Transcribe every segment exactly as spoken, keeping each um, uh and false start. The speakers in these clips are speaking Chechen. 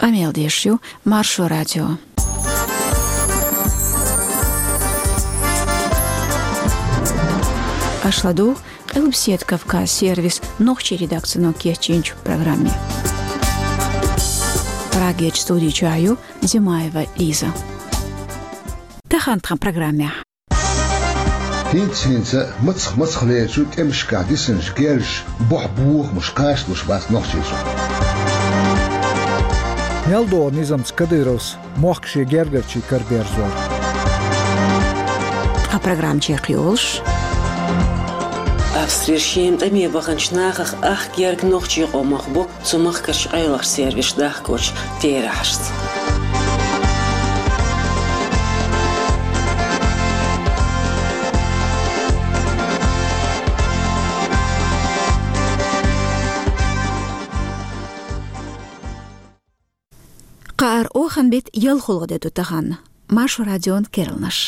Къамел деш ю Маршо радио. Аша ладугӀу Къилбаседа Кавказ сервисан нохчийн редакцино кечйинчу программе. Прагерчу студи чохь ю Димаева Лиза. Тахана тхан программехь. ХӀинца-хӀинца мацах-мацах лерчу тӀемашкахь дисинчу герзаша бохь бохамаш кхачалуш бац Нохчийчохь. Мел догӀу низамца Кадыровс мохк шен гергарчийн караберзор. Тхан программа чекхйолуш. Австрера шена тӀаме баханчу нахах ах герга нохчийн къомах бу цу махкарчу къайлахчу сервисаша дахкочу терахьашца. Кхаара оханан беттан ялхолгӀа де ду тахана. Маршо радион керланаш.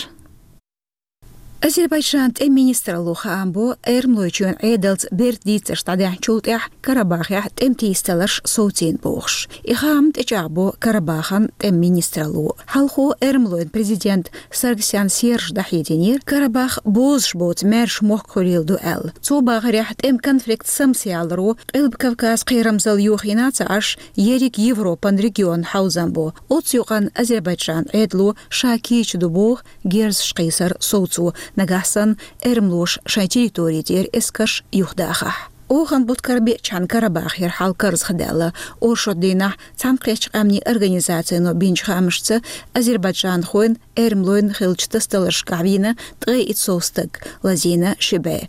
Азербайджанан тӀеман министралло хаам бо, Эрмалойчоьнан Ӏедалца берда дийцарш дӀадаьхьначул тӀаьхьа Карабахехь тӀеман тийсадаларш совцийна бохуш. И хаам тӀечӀагӀбо Карабахан тӀеман министралло. Хьалхо Эрмалойн президент Саргсян Сержа дӀахьединера, Карабах бозуш боцу маьрша мохк хуьлийла ду аьлла. Цо бахарехь, тӀеман конфликт самсаяларо Къилба Кавказ кхерамзалла йохийна а ца Ӏаш, ерриг Европан регионна хьовзам бо. Оццу юкъанна Азербайджанан Ӏедало ша кийча ду боху герзаш кхийсар совцо, нагахь санна эрмалоша шайн территори тӀера эскарш юхадахахь. Оханан бутт карабеачхьана Карабахера хьал карзахдаьлла. Оршот дийнахь Цхьаьнакхеттачу Къаьмнийн Организацино бинчу хаамашца, азербайджанхойн, эрмалойн хиллачу тасадаларшкахь вийна ткъе итт сов стаг, лазийна ши бӀе.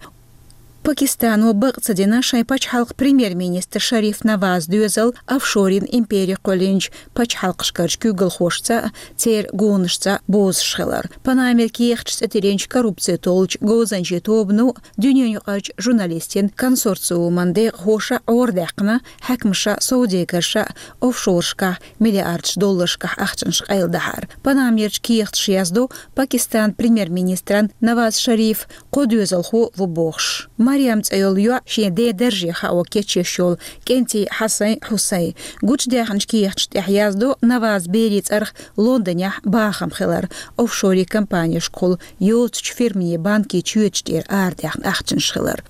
Пакистано бакъ ца дина шайн пачхьалкхан премьер-министр Шариф Навазан доьзал офшорийн импери кхоьллинчу пачхьалкхашкарчу куьйгалхошца а, церан гонашца а бозуш хилар. Панамеран кехаташ цӀе тиллинчу коррупци толлучу говзанчийн тобано а, дуьненаюкъарчу журналистийн консорциуман декъахоша а Ӏорадаьккхина хьаькамаша а, совдегарша а офшорашкахь миллиардаш долларшкахь ахчанаш къайладахьар. Панамерчу кехаташа яздо, Пакистанан премьер-министран Наваз Шарифан кхо доьзалхо ву бохуш. Марьям цӀе йолу йоӀ шен ден дарже хао кечъеш йолу кӀентий Хьасан Хьусайн. Гучудаьхначу кехаташна тӀехь яздо Навазан берийн цӀарах Лондонехь бахам хилар, офшорийн компанешкахула йоцучу фирмийн банкийн чоьташ тӀера арадаьхна ахчанаш хилар.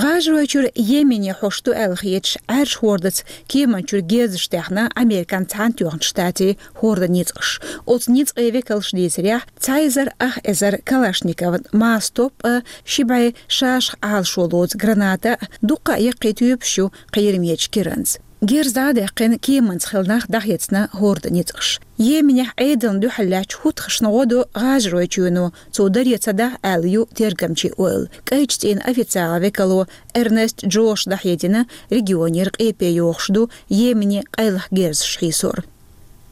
ГӀажаройчуьра Йемене хьош ду аьлла хеташ, Ӏаьржа хӀордаца кеманчуьра герзаш даьхна Американ Цхьаьнатоьхначу Штатийн хӀордан ницкъаша. Оцу ницкъийн векалша дийцарехь, цхьа эзар ах эзар калашникован маса топ а, ши бӀе шашах Ӏалашо лоцу граната а, дуккха а яккхий тоьпаш ю кхерамечу киранца. Герз дӀа а даьккхина, кеманца хилла нах дӀахецна хӀордан ницкъаша. Йеменехь Ӏедална дуьхьал лаьттачу хӀутхашна гӀо до ГӀажаройчоьно, цо даре ца дахь аьлла ю тергамчийн ойла. КӀайчу цӀийнан официалан векало Эрнест Джоша дӀахьедина, регионера къепе йохуш ду Йемене къайлаха герзаш хьийсор.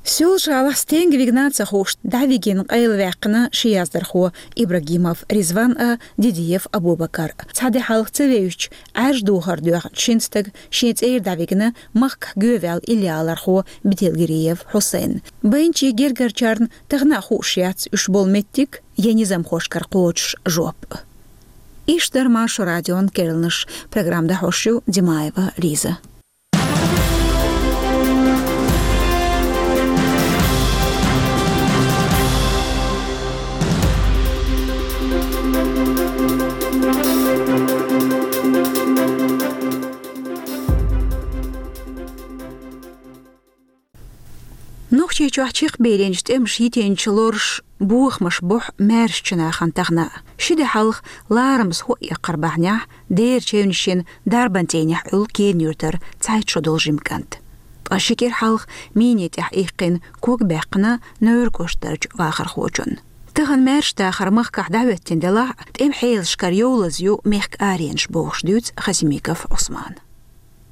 Соьлжа-ГӀалахь стенга вигна а ца хууш, дӀавигина къайлаваьккхина ши яздархо Ибрагимов Ризван а, Дидиев Абубакар а. Цхьа де хьалха ца вевзачу Ӏаьржа духар доьхначу шина стага шен цӀера дӀавигна махкахь гоьваьлла иллиалархо Бетелгириев Хьусайн. Байначийн гергарчарна тахана а хууш яц уьш болу меттиг я низамхошкара кхочуш жоп. Иштта дара Маршо радион керланаш. Программа дӀахьош ю Димаева Лиза. Нохчийчохь чекхбийлинчу тӀемаша йитинчу лоруш бохамаш бохьу маьршачу нахана тахана. Ши де хьалха ларамаза хӀоъ яккхар бахьанехь, дера чевнашйина дарбан цӀийнехь Ӏуьллу Кена-Юьртара цхьайтта шо долу жима кӀант. Ткъа ши кӀира хьалха мине тӀехь иккхина ког баьккхина Невран кӀоштарчу вахархочунна. Тахана маьрша дахар махкахь дӀахӀоьттина делахь а, тӀеман хьелашкара йовлаза ю мехкан аренаш бохуш дуьйцу Хасимиков Ӏусмана.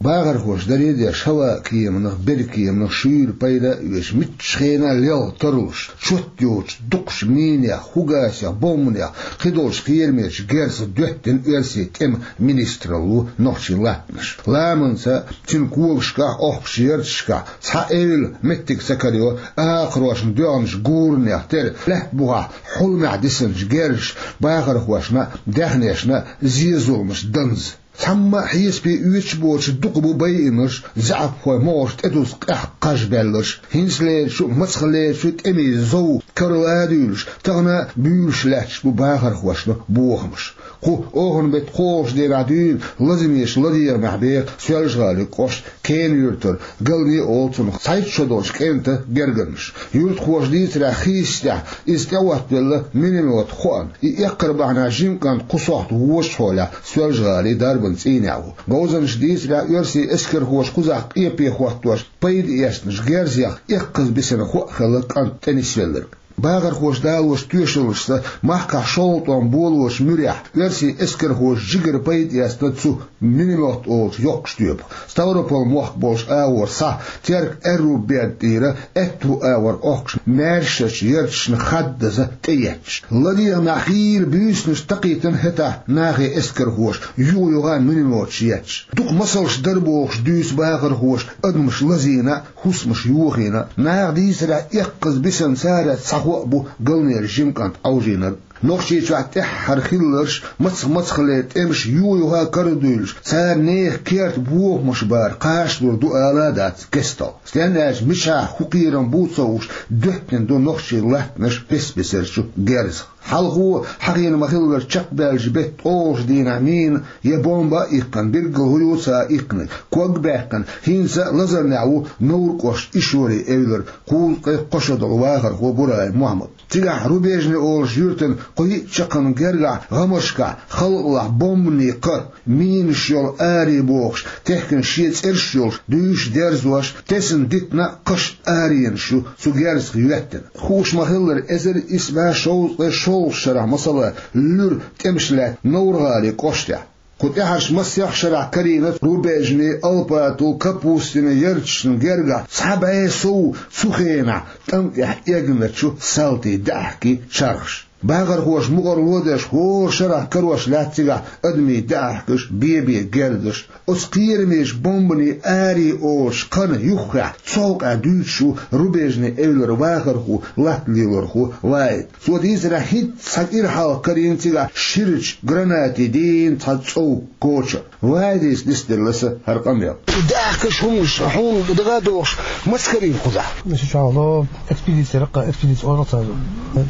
Бахархоша даре а деш, хӀаваан кеманах, берриг кеманах шуьйра пайда а оьцуш, муьлххачу хенахь лелха тарлуш, чот йоцуш, дукхачу минех, фугасех, бомбанех, кхидолчу кхерамечу герзах доьттина оьрсийн тӀеман министралло нохчийн латтанаш. Ламанца, цуьнан когашкахь, охкучу ярташкахь цхьа эвла меттиг ца карайо, акхарошна доьгӀначу гуранех тера лаьтта бухахь хьулмехь дисинчу герзаша бахархошна а, даьхнешна а зе-зуламаш данза. Цхьамма а хьесапе оьцуш боцуш дукха бу байинарш, заьӀапхойн могӀарш тӀедузу къаьхьа кхаж баьлларш, хӀинцалерачу а, мацахлерачу а тӀемийн зов кара ладуьйлуш, тахана а буьйлуш лаьтташ бу бахархошна бохамаш. Кху оханан беттан кхоалгӀачу дийнахь дуьйна лазамечу ладегӀамехь беха Соьлжа-ГӀалин кӀоштан Кена-Юьртара Галне а олу цунах цхьайтта шо долчу кӀентан гергарнаш. Юьртахоша дийцарехь, хийццехь иза тӀеӀоттавелла миномет хоам. И эккхар бахьанехь жима кӀант кху сохьта вочу хьолехь Соьлжа-ГӀалин дарбан цӀийнехь ву. Говзанчаша дийцарехь, оьрсийн эскархоша кхузахь къепе хӀоттош пайда эцначу герзех эккхаза бисина хоам хилла кӀант тӀенисвелларг. Бахархоша далочу тоьшаллашца, махкахь шолгӀа тӀом болочу муьрехь оьрсийн эскархоша жигара пайда эцна цу миномет олучу йоккхачу тоьпах. Ставрополь мохк болчу агӀор схьа Терк-Аьрру берда тӀера аьтту агӀор Ӏохкуш маьршачу ярташна хаддаза тӀеетташ. ЛадегӀамехь хийла буьйсанаш такхийтина хӀетахь нахе эскархоша, юха-юха минометаш етташ. Дукха масалш дара бохуш дуьйцу бахархоша адамаш лазийна а, хӀусамаш йохийна а. Наха дийцарехь, эккхаза бисина царах цхьа хоам бу Галнера жима кӀант Ӏовжийнарг. Нохчийчохь тӀаьххьара хилларш, мацах-мацахлера тӀемаш юха-юха карадуьйлуш, цара нехан керта бохамаш бара кхачалур ду ала а дац кестта. Стенна аьлча, мичахь хӀун кхерам бу ца хууш, доьттина ду нохчийн латтанаш бес-бесарчу герзах. Хьалхо, хьахийна ма-хиллара, чекхбаьллачу беттан ткъолгӀачу дийнахь мина я бомба а иккхина, билггал хӀун ю ца иккхинарг, ког а баьккхина, хӀинца а лазарнехь ву Невран кӀоштан Ишори-Эвлара кхузткъе кхо шо долу вахархо Бураев Мохьмад. Цигахь Рубежный олучу юьртан кху йиъ чаккхарма гергахь гӀамаршкахь халкъалахь бомбанийн кхаъ, минаш йолу аре бохуш, техкина шен цӀераш йолуш, дуьйш дерзош, тесна дитина а, кхаш а аренаш ю цу герзах йоьттина. Хууш ма-хиллара, эзар исс бӀе шовзткъе шолгӀачу шарахь, масала, луьра тӀемаш лаьтта Невран-ГӀалин кӀоштехь. Кху тӀаьхьарчу массех шарахь карийна Рубежный, Алпатово, Капустино ярташна гергахь цхьа бӀе сов цу хенахь тӀам тӀехь эгначу салтийн даьӀахкийн чархаш. Бахархоша мукъарло а деш, хӀора шарахь карош лаьтта цигахь адамийн даьӀахкаш, бен-бен герзаш. Оцу кхерамечу бомбанийн аре олучу кхана юххехь цу хьокъехь дуьйцуш ву Рубежный-Эвлара вахархо, латта лелорхо Вахьид. Цо дийцарехь, хӀинцца цхьа кӀира хьалха карийна цигахь ширачу гранатийн дийна цхьа цӀов коча. Вахьида нисделла аса хӀара къамел. ДаьӀахкаш, хӀуманаш хьуна дагадогӀуш, маса карийна кхузахь? Аса чохь ло экспедици, раккха экспедици олу цара.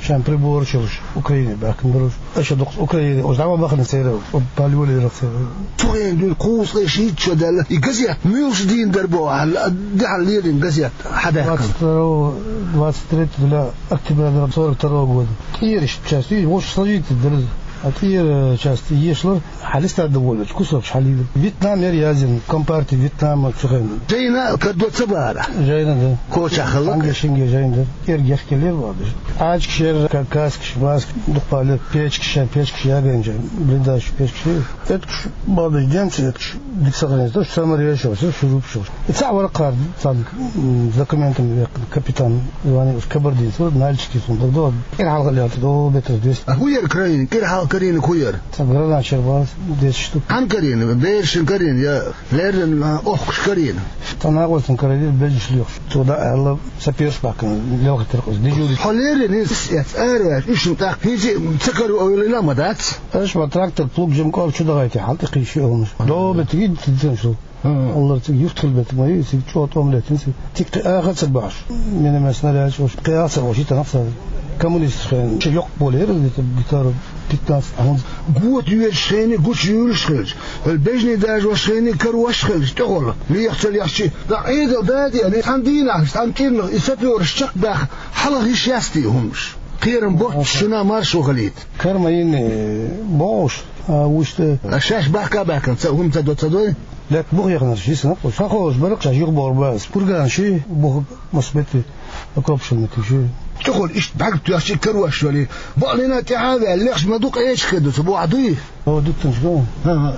Шайн прибораш йолуш Украине баьхкина бара уьш. Аша дукха Украине, уьш дӀа ма бахана церан, пале лелира церан. Цу хенахь дуьйна кхузткъе шийтта шо даьлла, и газета муьлш дийна дара боху, хьан, дехьа лерина газета хьан даьхкина? Двадцать второго, двадцать третьего октября сорок второго года. ТӀера иштта часть, и вовшах сложить дара. А тӀера часть ешалара, хьан листа довольно, кусочек хьалийла. Вьетнам яра яздина, компартия Вьетнама цу хенахь. Жайна кадо ца бара? Жайна, да. Кочахь хилла? Ханге-шинге жайна, да. ТӀера гехкеллера вадаш. Ӏачкаш яра, ка-, каскаш, маскаш, дукха ле, печкаш, шайн печкаш ягайна жайна. Блиндаж печкаш яра. Эткаш бадаш, демца эткаш. Дика сохранить, то, что самое решилось, что шуруп шур. И цхьа вара кхар, цхьа, м, с документами веккхина, капитан звонил, уж кабардинец, вот, нальчикец, он, да, да, кӀира хьалха лелта, до метров двести. А хӀун яра карийна? КӀира хьалха карийнарг хӀун яра? Цхьа гранат шарбас, десять штук. Хьан карийна? Берашна карийна, я леррина, а, охкуш карийна? Цхьа накъостан карийна, безаш лоьхуш. Цо дӀа аьлла, саперш баьккхина, лелхийтира-кх иза, дежурить. Хьо леррина иза, эц, араваьлча, уьш тӀаккха хӀинца а ца каро ойла ма дац? Аша ма трактор, плуг, жима кӀорга чу дахийти, хьал тӀе кхийша хӀуманаш. До метров десять цхьана шу. Хм. Аллара цига юхтхила бетта ма ю, цига чӀогӀа тӀом леттина цига. Цига кхин аха а ца бахьаш. Миномет, снаряд чӀогӀа. Кхин аха а ца бахьаш, и танах ца. Коммунисташ хенахь. Ша йоккха болу яра, где-то гектаров пятнадцать, а хӀунца. Гота йоьдуш хенахь, гучуьйлуш хилча. Хьал бежний дажош хенахь, карош хилча, тӀехула. Леха ца лехча. Да Ӏедал даде, али цхьана дийнахь, цхьана кӀирнах, и сапёраш чекхбаьхна, хьалха йиш яц те хӀумаш. Кхерам боццуш шуна маршо хилийта. Карма йинни бохуш, а вуьшта. А шаьш бахка а баьккхина, ца хӀума ца до, ца дой? Лек бух яханарш йисина, ша холуш бара, ша юхабохур бац. Курган ши, бух мас метр, окоп ши метр ши. ЧӀухула иштта бӀаьрг тоьхча карош вали. Бакълина тӀаьхьа а ваьлла, лехаш ма ду, къеча хир ду, ца бохьа дуй? О, дуккханаш го. Ха-ха.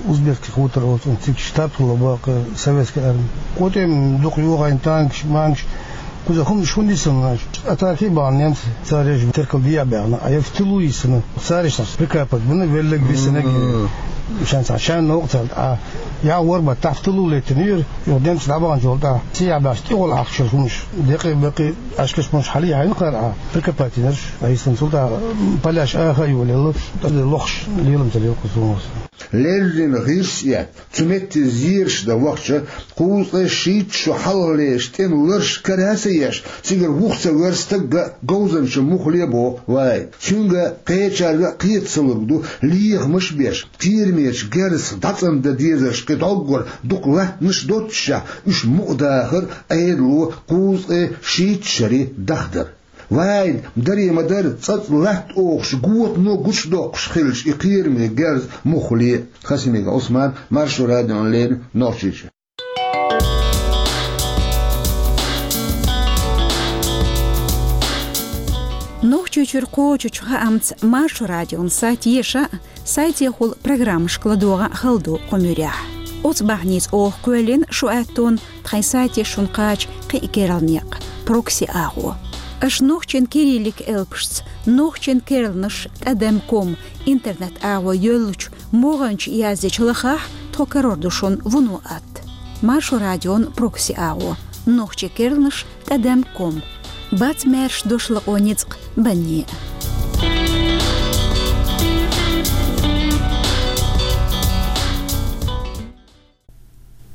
Узбекский хутор, вот он цига штаб хилла бакъ советской армии. КъотӀем дукха йохийна танкаш, манкаш. Кхуза хӀуманаш хӀунда йисина аша? Атака а бахьана немцаша, цара еш теркал дехьа баьхна, а я в тылу йисина. Цара иштта прикапать бина, велларг висинарг. Мгм. Шайн цхьа, шайн новкъа цара, а Я вар ма тафталу летинир, юхдем сдабан жолда. Сиябаш тигул ахча хумш. Декъе бекъе ашкаш муш хали хайн хара. Прикопать наш. Айсан сулда паляш аха юлел. Лохш лилам талил кусумус. Леррин гӀирс эт, цу метте зераш да вахча, кхузткъе шийтта шу хьалхалеш тӀем ларш караса еш, цигара вух ца вер стагга говзанча мух лебо вай. Цуьнга кхечарга кхета ца луг ду, лехамаш беш, кхерамечу герзах дӀацӀандан дезарш кхин дӀоггара дукха латтанаш доццушехь, уьш мукъадахар Ӏедало кхузткъе шийтта шаре дахдар. Вайн, даре ма дара, цӀацӀа латта охуш, готано гучудоккхуш хилча и кхераме герз муххале. Хасимиков Ӏусман, Маршо радиона леррина, Нохчийчоь. Нохчийчуьра кхочучу хаамца Маршо радион сайт еша, сайтехула программашка ладогӀа хала ду кху муьрехь. Оцу бахьаница оха кхоьллина шу аьттон тхайн сайте шуна кхача кхин а керла некъ, прокси агӀо. Аша нохчийн кириллик элпашца, нохчийн керланаш тӀадам ком интернет агӀо йоьллучу могӀанчу яздечу лахахь, тхо карор ду шуна вуно атта. Маршо радион прокси агӀо, нохчийн керланаш тӀадам ком. Бац маьрша дош лакъо ницкъ банне.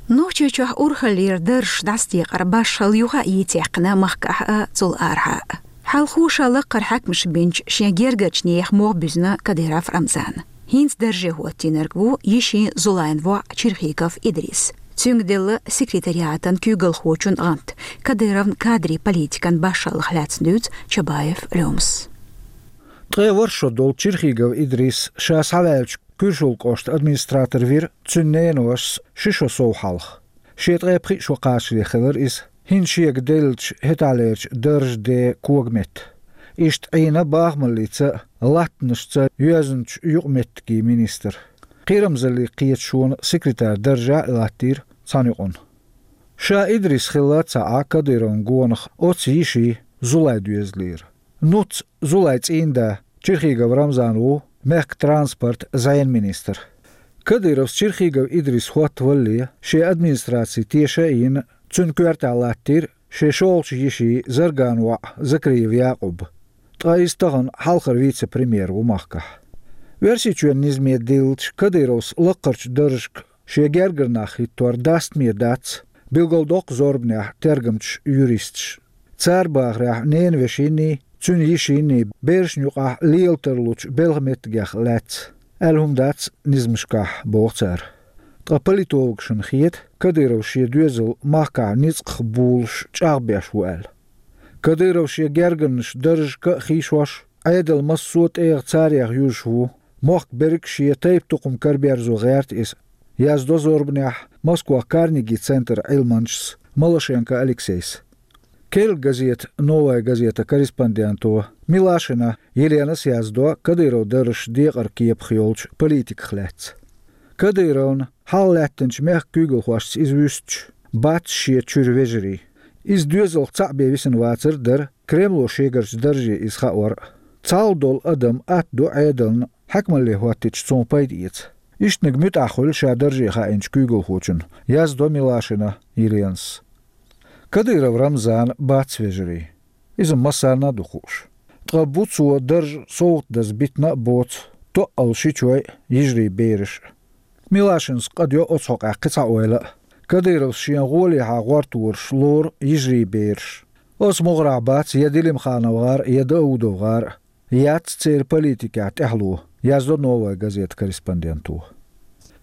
Нохчийчохь урхаллера даржаш дӀасадекъар башхалла юха а йийцаьккхина махкахь а, цул арахьа а. Хьалхо ша лакхара хьаькамаш бинчу шен гергарчу нехан мох буьзна Кадыров Рамзана. ХӀинца дарже хӀоттийнарг ву йишин Зулайн воӀ Черхигов Идрис. Цуьнга делла секретариатан куьйгалхочун гӀант, Кадыровн кадрийн политикан башхаллах лаьцна дуьйцу Чабаев Лёмас. Ткъе ворхӀ шо долу Черхигов Идрис ша схьаваьллачу Куьршул кӀоштан администратор вира цуьнан ненавашас ши шо сов хьалха. Шен ткъе пхи шо кхачале хилира иза. ХӀинца шега деллачу хӀетахьлерчу даржан ден когаметта. Иштта Ӏийна бахамаллица а, латтанашца а йоьзначу юкъаметтигийн министр. Кхерамзаллин кхеташонан секретарь даржехь а латтийра цхьана юкъана. Ша Идрис хилла ца Ӏа Кадыровн гонах оцу йишин Зулай доьзалера. Нуц Зулай цӀийнда Черхигов Рамзан ву мехкан транспорт, зӀенан министр. Кадыровс Черхигов Идрис хӀоттавалале, шен администраци теша а йина, цуьнан коьртехь латтийра шен шолгӀачу йишин Зарган воӀ Закриев Якъуб. Ткъа иза тахана хьалхара вице-премьер ву махкахь. Оьрсийчоьнан низаме диллича, Кадыровс лаккхарчу даржашка шен гергара нах хӀиттор дастаме дац, билгалдоккху зорбанехь тергамчаша, юристаша. Цара бахарехь, ненавешиний, цуьнан йишиний берашна юкъахь лела тарлучу белхан меттигех лаьцна аьлла хӀума дац низамашкахь, боху цара. Ткъа политологашна хета, Кадыров шен доьзал махкахь ницкъах булуш чӀагӀбеш ву аьлла. Кадыров шен гергарнаш даржашка а хийшош, Ӏедалан массо а тӀегӀа царех юьзуш ву, мохк берриг шен тайп-тукхам караберзо гӀерта иза, яздо зорбанехь Москвахь Карнеги центран Ӏилманчас Малашенко Алексейс. Керла газета «Новая газета» корреспонденто Милашина Еленас яздо Кадыровн даржашна декъаран кепах йолчу политиках лаьцна. Кадыровна хьалха лаьттинчу мехкан куьйгалхошца иза вуьстуш, бац шен чуьра вежарий. Иза доьзалх цхьаъ бен висина вацар а дара, Кремло шегарчу дарже иза хаор а. Цхьалха долу адам атта ду Ӏедална, хьаькамалле хӀоттийча цунах пайда эца. Иштаниг муьтӀахь хуьлу ша дарже хаийначу куьйгалхочунна, яздо Милашина Еленас. Кадыров Рамзана бац вежарий. Иза массарна а ду хууш. Ткъа бу цо дарж совгӀатдаза битина а боцу тоъал шичой а, йижарий бераш а. Милашинас къа доьху оцу хьокъехь кхин цхьа ойла а. Кадыровс шен гӀолехьа гӀортораш лору йижарий бераш. Оцу могӀарехь бац я Делимханов гӀар а, я Даудов гӀар а. Яц церан политикехь тӀаьхьало, яздо «Новая газета» корреспонденто.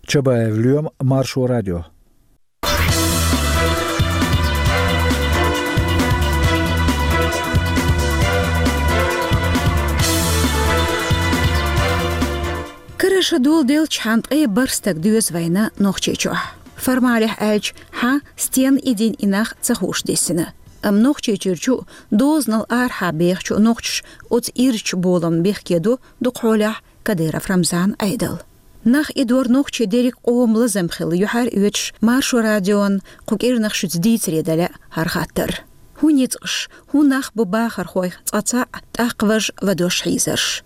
Чабаев Лоьма, Маршо радио. Карара ша доладелчхьана ткъе бархӀ стаг доьзна вайна Нохчийчохь. Формалехь аьлча, хьан стен идин и нах ца хууш дисина. Амма Нохчийчуьрчу а, дозанал арахьа бехачу а нохчаша оцу ирчу боламна бехке ду дукха хьолехь Кадыров Рамзанан Ӏедал. Нах идор нохчий дерриг къоман лазам хилла юьхьар оьцуш, Маршо радион кху кӀирнах шуьца дийцаре дан лаьа хӀара хаттар. ХӀун ницкъаш, хӀун нах бу бахархойх цкъа цхьаъ, тӀаккха важа ладош хьийзарш?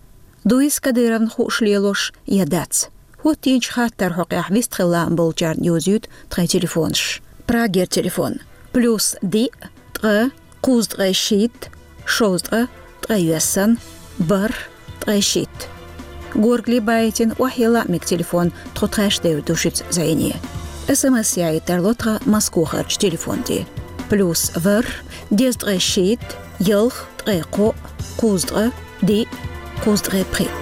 Дуй иза Кадыровна хууш лелош я дац? Буттинчу хаттар хьокъехь вистхила лаам болчарна йозуьйту тхайн телефонаш. Прагера телефон: плюс диъ, ткъа, кхузткъе шийтта, шовзткъа, ткъе йоьссана, бархӀ, ткъе шийтта. Горгали байтина охьайилла а мега телефон, тхо тхаьш девр ду шуьца зӀене. СМС яийта тарло тхан Москохарчу телефон тӀе: плюс ворхӀ, дезткъе шийтта, ялх, ткъе кхоъ, кхузткъе диъ, кхузткъе пхиъ.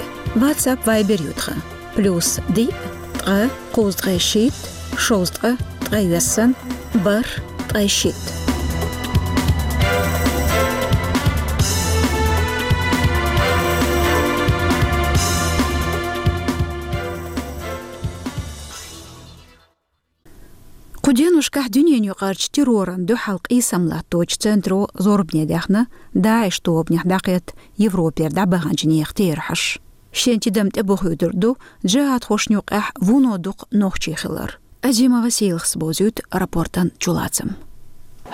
WhatsApp, Viber ю тхан: плюс диъ, ткъа, кхузткъе шийтта, шовзткъа, ткъе йоьссана, бархӀ, ткъе шийтта. Кху деношкахь дуьненан юкъарчу террорна дуьхьал къийсам латточу центро зорбане даьхна ДАИШ тобанехь дӀакхетта Европера дӀабаханчу нехан терахьаш. Шен тидам тӀебохуьйтур ду джихӀадхошна юкъахь вуно дукха нохчий хилар. Азимова Сийлахас бовзуьйту рапортан чулацам.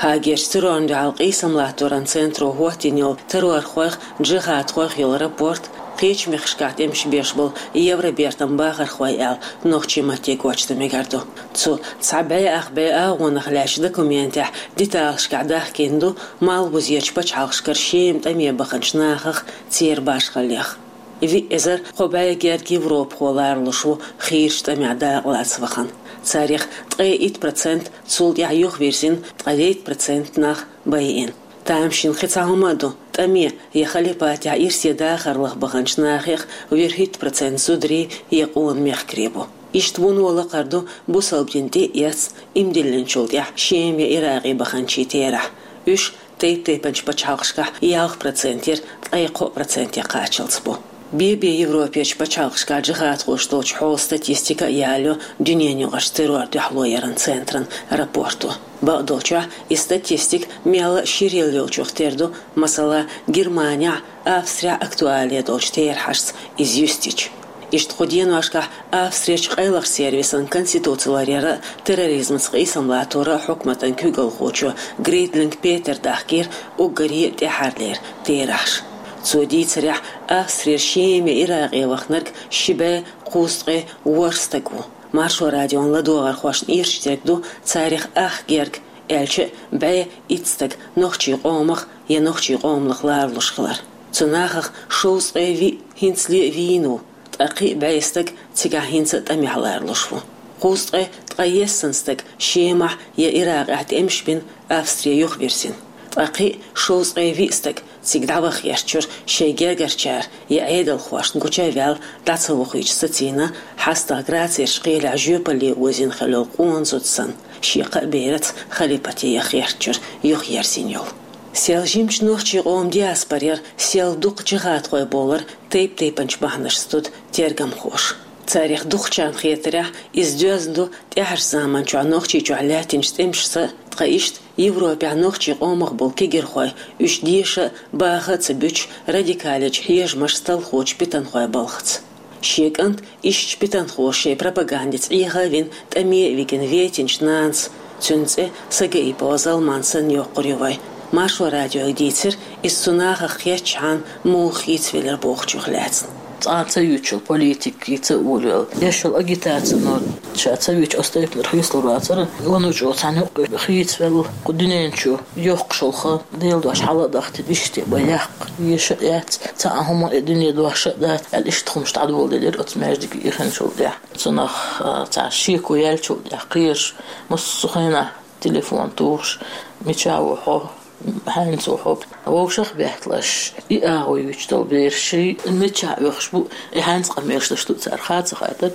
Гаагерчу террорна дуьхьал къийсам латторан центро хӀоттийна йолу террорхойх, джихӀадхойх йолу рапорт кхечу мехкашкахь тӀемаш беш болу Евробертан бахархой аьлла нохчийн матте гочдан мегар ду. Цу цхьа бӀе ах бӀе агӀонах лаьцначу документехь деталашкахь дахкийна ду малхбузерчу пачхьалкхашкара Шема тӀаме баханчу нахах, церан башхаллех. Виъ эзар кхо бӀе герга европахо ларалуш ву хийрачу тӀамехь дакъалаца вахана. Царех ткъе итт процент цул тӀаьхьа юхавирзина, ткъе дейтта процент нах байина. Тамашийна кхин цхьа хӀума а ду: тӀаме я халипатехь ирсе дахарлах баханчу нахех вуьрхӀитта процент зударий я къона мехкарий бу. Иштта вуно лакхара ду бусалба дин тӀе а эцна, иман диллинчул тӀаьхьа Шема я Иракъе баханчийн терахь. Уьш тайп-тайпанчу пачхьалкхашкахь ялх процентера ткъе кхоъ проценте кхаччалц бу. Бен-бен Европерчу пачхьалкхашкахь джихӀадхоша долчу хьолан статистика а ялайо дуьненан юкъарчу террор дуьхьало яран центран рапорто. Бакъдолчохь, и статистика мелла а ширъелла йолчух тера ду, масала, Германехь а, Австрехь а актуале долчу терахьашца иза юьстича. Иштта кху деношкахь Австрерчу къайлахчу сервисан конституци ларъяра а, терроризмаца къийсам латторан а хьукматан куьйгалхочо Гридлинг Петера дахкийра уггаре а тӀаьхьарлера терахьаш. Цо дийцарехь, Австрера Шема я Иракъе вахнарг ши бӀе кхузткъе ворхӀ стаг ву. Маршо радион ладогӀархошна ирча дерг ду царех ах герга, аьлча а бӀе итт стаг нохчийн къомах я нохчийн къоманах ларалуш хилар. Цу нахах шовзткъе виъ хӀинцале а вийна ву, ткъа кхин а бӀе стаг цигахь хӀинца а тӀамехь ларалуш ву. Кхузткъе ткъайесна стаг Шемахь я Иракъехь тӀемаш бина Австре юхавирзина. Ткъа кхин а шовзткъе виъ стаг цига дӀаваха гӀертачуьра шайн гергарчара я Ӏедалхошна гуча а ваьлла дӀа ца вохуьйтуш сацийна, хьастагӀа Грацерчу кхелехь жоьпалле озийна хилла йолу къона зуда санна, шен кхаа бераца халипате яха гӀертачуьра юхаерзийна йолу. Сел жимачу нохчийн къоман диаспорера сел дукха джихӀадхой бовлар тайп-тайпанчу бахьанашца, дуда тергамхоша. Царех дукхачарна хетарехь, иза доьзна ду тӀаьхьарчу заманчохь Нохчийчохь лаьттинчу тӀемашца, ткъа иштта Европехь нохчийн къомах болу кегирхой уьш деша а, баха а ца буьтуш, радикалечу хьежамашца талхочу питанхойн балхаца. Шен кӀант ишттачу питанхоша шайн пропагандица Ӏеха а вина, тӀаме а вигина вейтинчу нанас, цуьнан цӀе Сагаипова Залман санна йоккхур ю вай. Маршо радиога дийцира иза цу нахах кхеттачхьана муха хийцавелира бохучух лаьцна. Цкъа ца юьйцуш йолу политика хийца а волавелла, еш йолу агитацино ша ца вича оцу тайпанара хийцалур вацара, ванучу цхьана юккъе хийцавелла, кху дуьнен чу йоккхуш йолу хан Делан дош хьала а дахтина, иштта бан яккха, еша а яц, цхьа а хӀума а дуьне дош а дац аьлла, иштта хӀумаш дӀадоладелира оцу маьждиге ихначул тӀаьхьа. Цунах, а, цхьа шеко яьллачул тӀаьхьа кхераш, массо а хенахь телефон тухуш: «Мича ву хьо? Хьаьнца ву хьо?» Вовшах а бехкалуш, и агӀо юьйцуш долу бераш ший мичахь оьхуш бу, и хьаьнца къамелаш деш ду цара, хаа ца хаттар.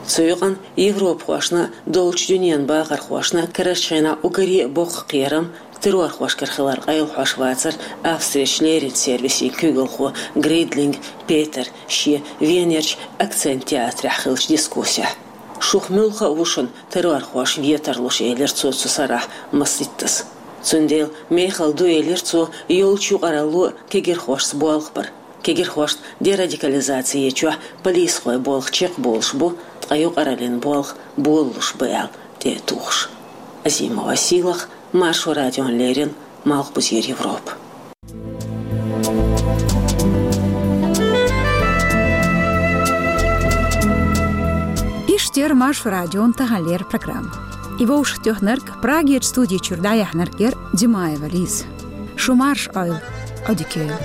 Цу юкъана европахошна, долчу дуьненан бахархошна карарчу хенахь уггаре а боккха кхерам террорхошкара хилар къайлахьош вацара Австрерчу леринчу сервисийн куьйгалхо Гридлинг Петера шен Венерчу «Акцент» театрехь хиллачу дискуссехь. «Шух муьлхха а ву шуна террорхоша ветар луш», — элира цо цу сарахь масситтаза. Цундела мехала ду, элира цо, йолчу юкъаралло а кегирхошца болх бар. Кегирхошна дерадикализаци ечохь полисхой болх чекхболуш бу, ткъа юкъараллин болх болалуш бу аьлла тӀе а тухуш. Азимова Сийлаха, Маршо радиона леррина, Малхбузера Европа. Эфирт Маршо радион тахан леррина программа. И вовшахтоьхнарг, Прагерчу студи чуьра дӀаяьхьнарг яра Димаева Лиза. Шу марша Ӏойла, Ӏодика йойла.